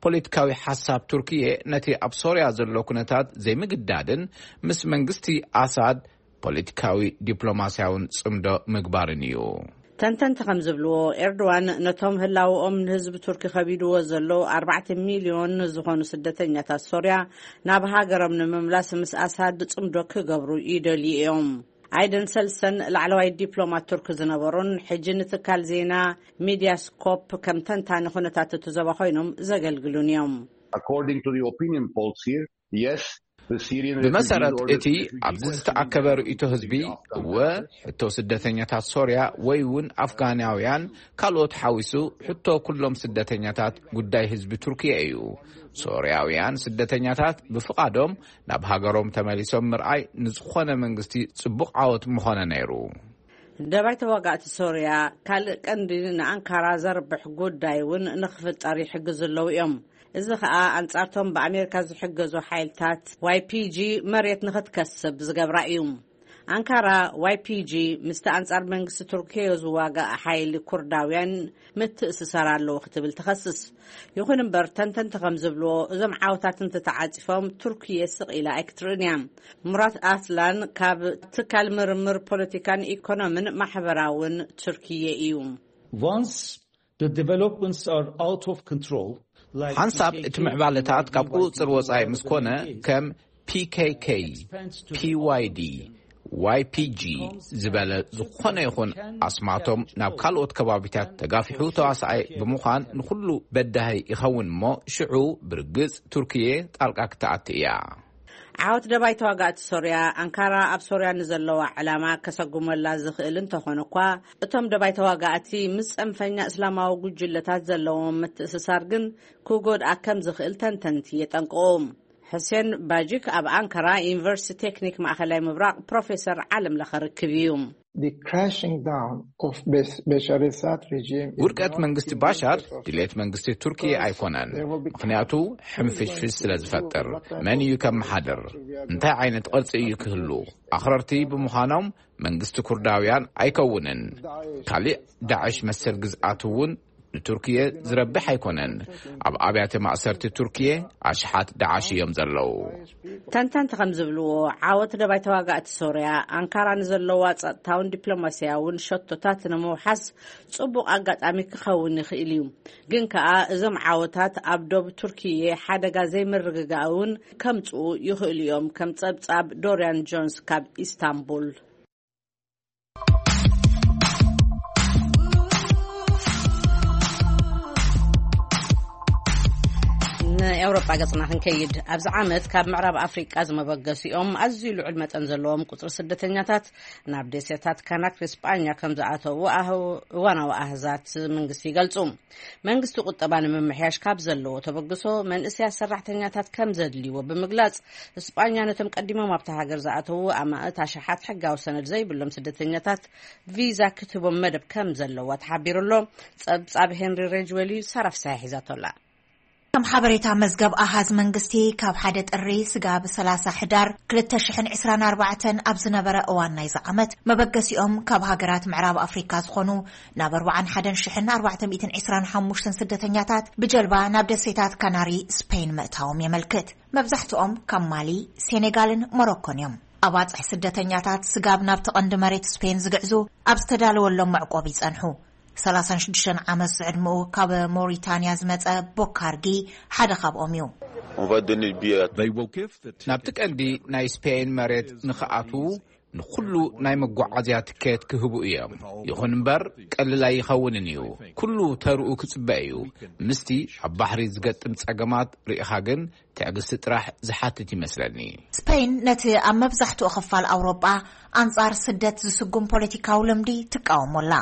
ፖለቲካዊ ሓሳብ ቱርኪየ ነቲ ኣብ ሶርያ ዘሎ ኩነታት ዘይምግዳድን ምስ መንግስቲ ኣሳድ ፖለቲካዊ ዲፕሎማስያውን ጽምዶ ምግባርን እዩ። ተንተንቲ ከም ዝብልዎ፣ ኤርዶዋን ነቶም ህላውኦም ንህዝቢ ቱርኪ ከቢድዎ ዘሎ ኣርባዕተ ሚልዮን ዝኾኑ ስደተኛታት ሶርያ ናብ ሃገሮም ንምምላስ ምስ ኣሳድ ጽምዶ ክገብሩ ይደልዩ እዮም። ኣይደን ሰልሰን ላዕለዋይ ዲፕሎማት ቱርክ ዝነበሩን ሕጂ ንትካል ዜና ሚድያስኮፕ ከም ተንታኒ ኩነታት እቲ ዞባ ኮይኖም ዘገልግሉን እዮም። According to the opinion polls here, yes, the Syrian ብመሰረት refugees or እቲ ኣብዚ ዝተኣከበ ርእይቶ ህዝቢ፣ እወ፣ ሕቶ ስደተኛታት ሶርያ ወይ እውን ኣፍጋናውያን ካልኦት ሓዊሱ ሕቶ ኩሎም ስደተኛታት ጉዳይ ህዝቢ ቱርክየ እዩ። ሶርያውያን ስደተኛታት ብፍቓዶም ናብ ሃገሮም ተመሊሶም ምርኣይ ንዝኾነ መንግስቲ ጽቡቕ ዓወት ምኾነ ነይሩ። ደባይ ተዋጋእቲ ሶርያ ካልእ ቀንዲ ንኣንካራ ዘርብሕ ጉዳይ እውን ንክፍጠር ይሕግዙ ኣለዉ እዮም። እዚ ከኣ ኣንጻርቶም ብኣሜሪካ ዝሕገዙ ሓይልታት ዋይፒጂ መሬት ንክትከስብ ዝገብራ እዩ። ኣንካራ ዋይፒጂ ምስቲ ኣንጻር መንግስቲ ቱርክዮ ዝዋጋእ ሓይሊ ኩርዳውያን ምትእስሳር ኣለዎ ክትብል ትኸስስ። ይኹን እምበር ተንተንቲ ከም ዝብልዎ እዞም ዓወታት እንተተዓጺፎም ቱርክየ ስቕ ኢላ ኣይክትርእን እያ። ሙራት ኣስላን ካብ ትካል ምርምር ፖለቲካን ኢኮኖምን ማሕበራውን ቱርክየ እዩ። Once the developments are out of control, like ሓንሳብ እቲ ምዕባለታት ካብ ቁፅፅር ወፃኢ ምስ ኮነ ከም ፒኬኬ፣ ፒዋይዲ፣ ዋይፒጂ ዝበለ ዝኾነ ይኹን ኣስማቶም ናብ ካልኦት ከባቢታት ተጋፊሑ ተዋሳኣይ ብምዃን ንኹሉ በዳሂ ይኸውን እሞ ሽዑ ብርግፅ ቱርክየ ጣልቃ ክትኣቲ እያ። ዓወት ደባይ ተዋጋእቲ ሶርያ ኣንካራ ኣብ ሶርያ ንዘለዋ ዕላማ ከሰጉመላ ዝኽእል እንተኾነ እኳ እቶም ደባይ ተዋጋእቲ ምስ ጸንፈኛ እስላማዊ ጉጅለታት ዘለዎም ምትእስሳር ግን ክጎድኣ ከም ዝኽእል ተንተንቲ የጠንቅቑ። ሕሴን ባጂክ ኣብ ኣንካራ ዩኒቨርሲቲ ቴክኒክ ማእኸላይ ምብራቕ ፕሮፌሰር ዓለም ለኸ ርክብ እዩ። The crashing down of Bas- Bashar Assad regime is ውድቀት not መንግስቲ in ባሻር interest of ድሌት መንግስቲ ቱርኪየ ኣይኮነን። ምኽንያቱ ሕንፍሽፍሽ ስለ ዝፈጥር መን እዩ ከመሓድር? እንታይ ዓይነት ቅርፂ እዩ ክህሉ? ኣኽረርቲ ብምዃኖም መንግስቲ ኩርዳውያን ኣይከውንን። ካሊእ ዳዕሽ መሰል ግዝኣት እውን ንቱርክየ ዝረብሕ ኣይኮነን። ኣብ ኣብያተ ማእሰርቲ ቱርክየ ኣሽሓት ዳዕሽ እዮም ዘለዉ። ተንተንቲ ከም ዝብልዎ ዓወት ደባይ ተዋጋእቲ ሶርያ ኣንካራ ንዘለዋ ጸጥታውን ዲፕሎማስያውን ሸቶታት ንምውሓስ ጽቡቕ ኣጋጣሚ ክኸውን ይኽእል እዩ። ግን ከኣ እዞም ዓወታት ኣብ ዶብ ቱርክየ ሓደጋ ዘይምርግጋእ እውን ከምጽኡ ይኽእሉ እዮም። ከም ጸብጻብ ዶርያን ጆንስ ካብ ኢስታንቡል። ንኤውሮጳ ገጽና ክንከይድ፣ ኣብዚ ዓመት ካብ ምዕራብ ኣፍሪቃ ዝመበገሲኦም ኣዝዩ ልዑል መጠን ዘለዎም ቁጽሪ ስደተኛታት ናብ ደሴታት ካናክሪ ስጳኛ ከም ዝኣተዉ ኣህ- እዋናዊ ኣህዛት መንግስቲ ይገልጹ። መንግስቲ ቁጠባ ንምምሕያሽ ካብ ዘለዎ ተበግሶ መንእሰያት ሰራሕተኛታት ከም ዘድልይዎ ብምግላጽ፣ ስጳኛ ነቶም ቀዲሞም ኣብታ ሃገር ዝኣተዉ ኣማእት ኣሽሓት ሕጋዊ ሰነድ ዘይብሎም ስደተኛታት ቪዛ ክትህቦም መደብ ከም ዘለዋ ተሓቢሩ ኣሎ። ጸብጻብ ሄንሪ ሬጅዌል እዩ፣ ሳራ ፍስሓ ሒዛቶ ኣላ። ከም ሓበሬታ መዝገብ ኣሃዝ መንግስቲ፣ ካብ ሓደ ጥሪ ስጋብ ሰላሳ ሕዳር ክልተ ሽሕን ዕስራን ኣርባዕተን ኣብ ዝነበረ እዋን ናይዚ ዓመት፣ መበገሲኦም ካብ ሃገራት ምዕራብ ኣፍሪካ ዝኾኑ ናብ ኣርባዓን ሓደን ሽሕን ኣርባዕተ ሚእትን ዕስራን ሓሙሽተን ስደተኛታት ብጀልባ ናብ ደሴታት ካናሪ ስፔን ምእታዎም የመልክት። መብዛሕትኦም ካብ ማሊ፣ ሴኔጋልን ሞሮኮን እዮም። ኣባፅሕ ስደተኛታት ስጋብ ናብቲ ቀንዲ መሬት ስፔን ዝግዕዙ ኣብ ዝተዳለወሎም መዕቆቢ ይጸንሑ። ሰላሳን ሽዱሽተን ዓመት ዝዕድመኡ ካብ ሞሪታንያ ዝመጸ ቦካርጊ ሓደ ካብኦም እዩ። ናብቲ ቀንዲ ናይ ስፔን መሬት ንኽኣትዉ ንኹሉ ናይ መጓዓዝያ ትኬት ክህቡ እዮም። ይኹን እምበር ቀልል ኣይኸውንን እዩ። ኩሉ ተርኡ ክጽበ እዩ። ምስቲ ኣብ ባሕሪ ዝገጥም ጸገማት ርኢኻ ግን ትዕግስቲ ጥራሕ ዝሓትት ይመስለኒ። ስፔን ነቲ ኣብ መብዛሕትኡ ክፋል ኣውሮጳ ኣንጻር ስደት ዝስጉም ፖለቲካዊ ልምዲ ትቃወሞ ኣላ።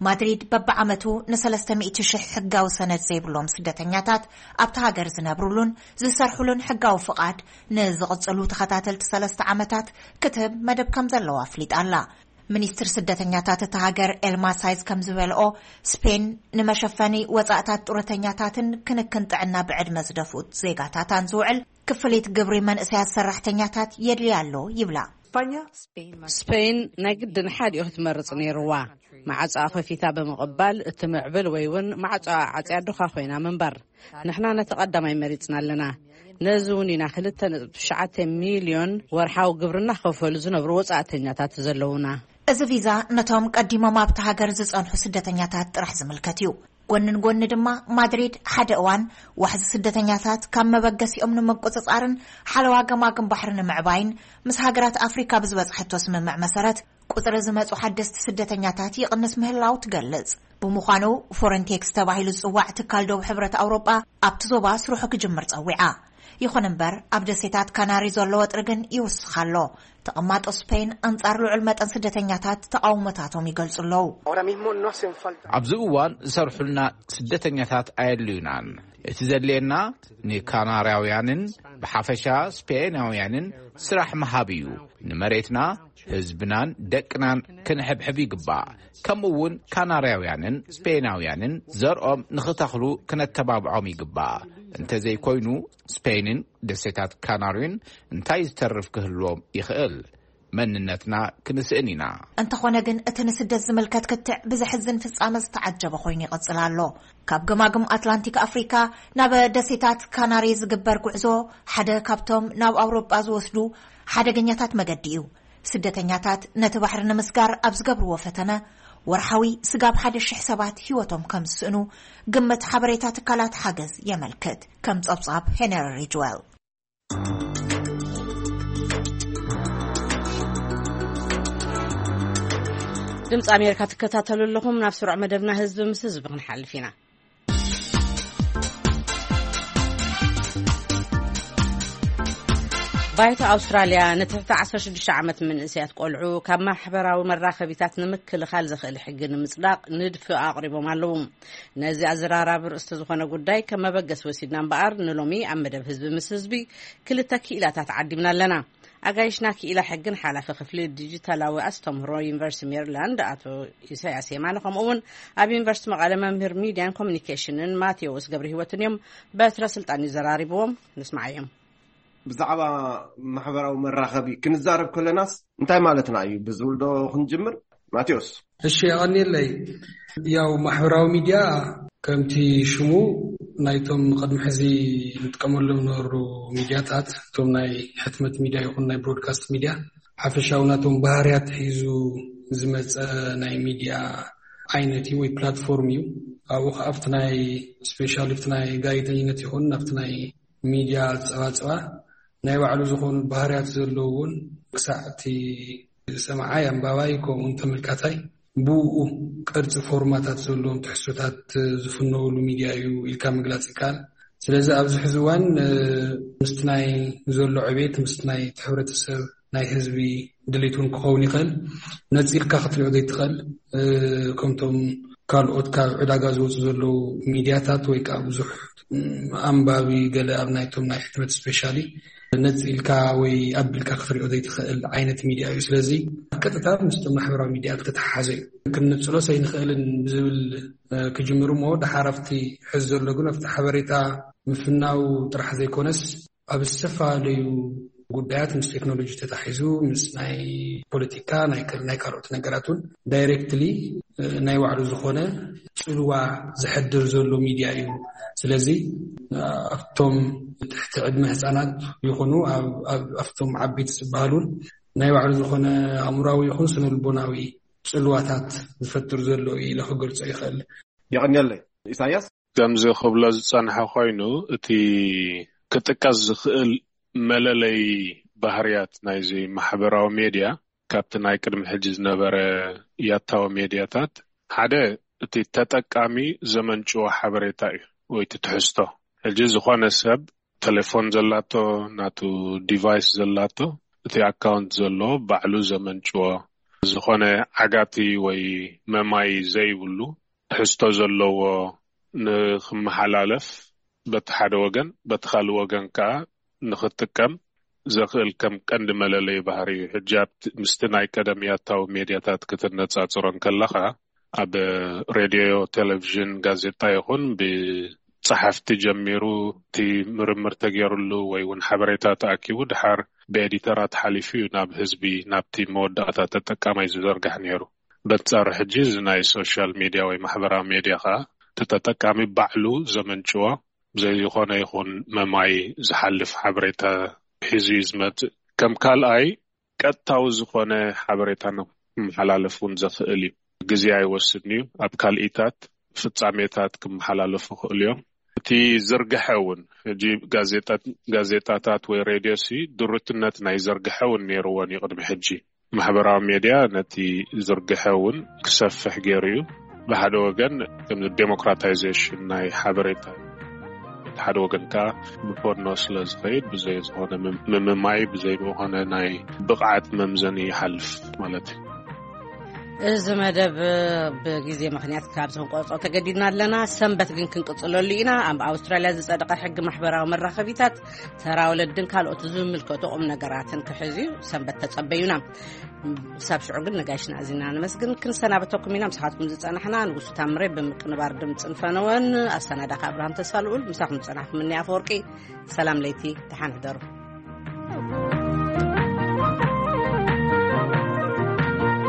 ማድሪድ በብዓመቱ ንሰለስተ ሚእቲ ሽሕ ሕጋዊ ሰነድ ዘይብሎም ስደተኛታት ኣብቲ ሃገር ዝነብሩሉን ዝሰርሑሉን ሕጋዊ ፍቓድ ንዝቕጽሉ ተኸታተልቲ ሰለስተ ዓመታት ክትህብ መደብ ከም ዘለዋ ኣፍሊጣ ኣላ። ሚኒስትር ስደተኛታት እታ ሃገር ኤልማ ሳይዝ ከም ዝበልኦ፣ ስፔን ንመሸፈኒ ወጻእታት ጡረተኛታትን ክንክን ጥዕና ብዕድመ ዝደፍኡ ዜጋታታን ዝውዕል ክፍሊት ግብሪ መንእሰያት ሰራሕተኛታት የድልያ ኣሎ ይብላ። ስፔን ናይ ግድን ሓዲኡ ክትመርጽ ነይርዋ። ማዕጾኣ ከፊታ ብምቕባል እትምዕብል ወይ እውን ማዕጾኣ ዓጽያ ድኻ ኮይና ምንባር። ንሕና ነቲ ቀዳማይ መሪጽና ኣለና። ነዚ እውን ኢና ክልተ ነጥቢ ትሽዓተ ሚልዮን ወርሓዊ ግብርና ክኸፈሉ ዝነብሩ ወጻእተኛታት ዘለዉና። እዚ ቪዛ ነቶም ቀዲሞም ኣብቲ ሃገር ዝጸንሑ ስደተኛታት ጥራሕ ዝምልከት እዩ። ጎንን ጎኒ ድማ፣ ማድሪድ ሓደ እዋን ዋሕዚ ስደተኛታት ካብ መበገሲኦም ንምቁጽጻርን ሓለዋ ገማግም ባሕሪ ንምዕባይን ምስ ሃገራት ኣፍሪካ ብዝበጽሐቶ ስምምዕ መሰረት፣ ቁጽሪ ዝመጹ ሓደስቲ ስደተኛታት ይቕንስ ምህላው ትገልጽ። ብምዃኑ፣ ፎረንቴክስ ተባሂሉ ዝጽዋዕ ትካል ዶብ ሕብረት ኣውሮጳ ኣብቲ ዞባ ስርሑ ክጅምር ጸዊዓ። ይኹን እምበር፣ ኣብ ደሴታት ካናሪ ዘሎ ወጥሪ ግን ይውስኽ ኣሎ። ተቐማጦ ስፔን ኣንጻር ልዑል መጠን ስደተኛታት ተቓውሞታቶም ይገልጹ ኣለዉ። Ahora mismo no hacen falta. ኣብዚ እዋን ዝሰርሑልና ስደተኛታት ኣየድልዩናን። እቲ ዘድልየና ንካናርያውያንን ብሓፈሻ ስፔናውያንን ስራሕ ምሃብ እዩ። ንመሬትና፣ ህዝብናን ደቅናን ክንሕብሕብ ይግባእ። ከምኡ እውን ካናርያውያንን ስፔናውያንን ዘርኦም ንኽተኽሉ ክነተባብዖም ይግባእ። እንተዘይኮይኑ፣ ስፔንን ደሴታት ካናሪን እንታይ ዝተርፍ ክህልዎም ይኽእል? መንነትና ክንስእን ኢና። እንተኾነ ግን፣ እቲ ንስደት ዝምልከት ክትዕ ብዘሕዝን ፍጻመ ዝተዓጀበ ኮይኑ ይቕጽል ኣሎ። ካብ ገማግም ኣትላንቲክ ኣፍሪካ ናብ ደሴታት ካናሪ ዝግበር ጉዕዞ፣ ሓደ ካብቶም ናብ ኣውሮጳ ዝወስዱ ሓደገኛታት መገዲ እዩ። ስደተኛታት ነቲ ባሕሪ ንምስጋር ኣብ ዝገብርዎ ፈተነ፣ ወርሓዊ ስጋብ ሓደ ሽሕ ሰባት ህይወቶም ከም ዝስእኑ ግምት ሓበሬታ ትካላት ሓገዝ የመልክት። ከም ጸብጻብ ሄነሪ ሪጅዌል። ድምፂ ኣሜሪካ ትከታተሉ ኣለኹም። ናብ ስሩዕ መደብና ህዝቢ ምስ ህዝቢ ክንሓልፍ ኢና። ባይቶ ኣውስትራልያ ንትሕቲ ዓሰርተ ሽዱሽተ ዓመት መንእሰያት ቆልዑ ካብ ማሕበራዊ መራኸቢታት ንምክልኻል ዘኽእል ሕጊ ንምጽዳቕ ንድፊ ኣቕሪቦም ኣለዉ። ነዚ ኣዘራራቢ ርእስቲ ዝኾነ ጉዳይ ከም መበገሲ ወሲድና እምበኣር፣ ንሎሚ ኣብ መደብ ህዝቢ ምስ ህዝቢ ክልተ ክኢላታት ዓዲምና ኣለና። ኣጋይሽና ክኢላ ሕግን ሓላፊ ክፍሊ ዲጂታላዊ ኣስተምህሮ ዩኒቨርሲቲ ሜሪላንድ ኣቶ ኢሳያስ የማነ፣ ከምኡ እውን ኣብ ዩኒቨርሲቲ መቐለ መምህር ሚድያን ኮሚኒኬሽንን ማቴዎስ ገብረ ህይወትን እዮም። በትረ ስልጣን እዩ ዘራሪብዎም። ንስማዓዮም። ብዛዕባ ማሕበራዊ መራኸቢ ክንዛረብ ከለናስ እንታይ ማለትና እዩ ብዝብል ዶ ክንጅምር? ማቴዎስ። እሺ፣ የቐንየለይ። ያው ማሕበራዊ ሚድያ ከምቲ ሽሙ ናይቶም ቅድሚ ሕዚ ንጥቀመሎም ነበሩ ሚድያታት፣ እቶም ናይ ሕትመት ሚድያ ይኹን ናይ ብሮድካስት ሚድያ፣ ሓፈሻዊ ናቶም ባህርያት ሒዙ ዝመፀ ናይ ሚድያ ዓይነት እዩ ወይ ፕላትፎርም እዩ። ኣብኡ ከዓ ኣብቲ ናይ ስፔሻሊ ኣብቲ ናይ ጋዜጠኝነት ይኹን ኣብቲ ናይ ሚድያ ፀባፀባ ናይ ባዕሉ ዝኾኑ ባህርያት ዘለዎን ክሳዕ እቲ ሰማዓይ፣ ኣንባባይ፣ ከምኡውን ተመልካታይ ብኡ ቅርፂ ፎርማታት ዘለዎም ትሕዝቶታት ዝፍነውሉ ሚድያ እዩ ኢልካ ምግላፅ ይከኣል። ስለዚ ኣብዚ ሕዚ እዋን፣ እ፣ ምስቲ ናይ ዘሎ ዕቤት፣ ምስቲ ናይ እቲ ሕብረተሰብ ናይ ህዝቢ ድሌት እውን ክኸውን ይኽእል። ነፂልካ ክትሪኦ ዘይትኽእል፣ እ፣ ከምቶም ካልኦት ካብ ዕዳጋ ዝወፁ ዘለዉ ሚድያታት ወይ ከዓ ብዙሕ፣ እ፣ ኣንባቢ ገለ ኣብ ናይቶም ናይ ሕትመት ስፔሻሊ ነፂልካ ወይ ኣቢልካ ክትሪኦ ዘይትኽእል ዓይነት ሚድያ እዩ። ስለዚ ቀጥታ ምስቶም ማሕበራዊ ሚድያ ዝተተሓሓዘ እዩ። ክንነፅሎ ሰይንኽእልን ብዝብል፣ እ፣ ክጅምር እሞ፣ ደሓር ኣብቲ ሕዚ ዘሎ ግን ኣብቲ ሓበሬታ ምፍናው ጥራሕ ዘይኮነስ ኣብ ዝተፈላለዩ ጉዳያት ምስ ቴክኖሎጂ ተታሒዙ ምስ ናይ ፖለቲካ፣ ናይ ከ-፣ ናይ ካልኦት ነገራት እውን ዳይሬክትሊ፣ እ፣ ናይ ባዕሉ ዝኾነ ፅልዋ ዘሕድር ዘሎ ሚድያ እዩ። ስለዚ፣ እ፣ ኣብቶም ትሕቲ ዕድመ ህፃናት ይኹኑ ኣብ፣ ኣብ፣ ኣብቶም ዓበይቲ ዝበሃሉን ናይ ባዕሉ ዝኾነ ኣእምራዊ ይኹን ስነ ልቦናዊ ፅልዋታት ዝፈጥር ዘሎ እዩ ኢለ ክገልጾ ይኽእል። የቐንየለይ። ኢሳያስ። ከምዚ ክብሎ ዝጸንሐ ኮይኑ፣ እቲ ክጥቀስ ዝኽእል መለለይ ባህርያት ናይዚ ማሕበራዊ ሜድያ ካብቲ ናይ ቅድሚ ሕጂ ዝነበረ ያታዊ ሜድያታት ሓደ፣ እቲ ተጠቃሚ ዘመንጭዎ ሓበሬታ እዩ ወይ እቲ ትሕዝቶ። ሕጂ ዝኾነ ሰብ ቴሌፎን ዘላቶ፣ ናቱ ዲቫይስ ዘላቶ፣ እቲ ኣካውንት ዘሎ ባዕሉ ዘመንጭዎ፣ ዝኾነ ዓጋቲ ወይ መማይ ዘይብሉ ትሕዝቶ ዘለዎ ንክመሓላለፍ በቲ ሓደ ወገን፣ በቲ ካልእ ወገን ከኣ ንክጥቀም ዘኽእል ከም ቀንዲ መለለዪ ባህሪ እዩ። ሕጂ ኣብቲ፣ ምስቲ ናይ ቀደም ያታዊ ሜድያታት ክትነጻጽሮ እንከለኻ፣ ኣብ ሬድዮ፣ ቴሌቪዥን፣ ጋዜጣ ይኹን ብጸሓፍቲ ጀሚሩ እቲ ምርምር ተገይሩሉ ወይ እውን ሓበሬታ ተኣኪቡ ድሓር ብኤዲተራት ሓሊፉ እዩ ናብ ህዝቢ፣ ናብቲ መወዳእታ ተጠቃማይ ዝዘርጋሕ ነይሩ። በንጻሩ ሕጂ እዚ ናይ ሶሻል ሜድያ ወይ ማሕበራዊ ሜድያ ከኣ እቲ ተጠቃሚ ባዕሉ ዘመንጭዎ ብዘይ ዝኾነ ይኹን መማይ ዝሓልፍ ሓበሬታ ሒዙ እዩ ዝመጽእ። ከም ካልኣይ ቀጥታዊ ዝኾነ ሓበሬታ ንክመሓላለፍ እውን ዘኽእል እዩ። ግዜ ኣይወስድን እዩ። ኣብ ካልኢታት ፍጻሜታት ክመሓላለፉ ይኽእሉ እዮም። እቲ ዝርግሐ እውን፣ ሕጂ ጋዜጣት-፣ ጋዜጣታት ወይ ሬድዮ ሲ ድሩትነት ናይ ዝርግሐ እውን ነይርዎን እዩ። ቅድሚ ሕጂ ማሕበራዊ ሜድያ ነቲ ዝርግሐ እውን ክሰፍሕ ገይሩ እዩ። ብሓደ ወገን ከም ዴሞክራታይዜሽን ናይ ሓበሬታ፣ ሓደ ወገን ከኣ ብፖርኖ ስለ ዝኸይድ ብዘይ ዝኾነ ምም-፣ ምምማይ፣ ብዘይ ዝኾነ ናይ ብቕዓት መምዘኒ ይሓልፍ ማለት እዩ። እዚ መደብ ብግዜ ምኽንያት ካብ ክንቆርጾ ተገዲድና ኣለና። ሰንበት ግን ክንቅጽለሉ ኢና። ኣብ ኣውስትራልያ ዝጸደቐ ሕጊ ማሕበራዊ መራኸቢታት፣ ተራ ወለድን ካልኦት ዝምልከቱ ቁም ነገራትን ክሕዝ እዩ። ሰንበት ተጸበዩና። ክሳብ ሽዑ ግን ነጋይሽና ኣዚና ነመስግን። ክንሰናበተኩም ኢና። ምሳኻትኩም ዝጸናሕና ንጉሱ ታምሬ ብምቅንባር ድምፅን ፈነወን፣ ኣሰናዳኺ ኣብርሃም ተሳልኡል፣ ምሳኹም ዝጸናሕኩም እኒ ኣፈወርቂ። ሰላም ለይቲ፣ ደሓን ሕደሩ።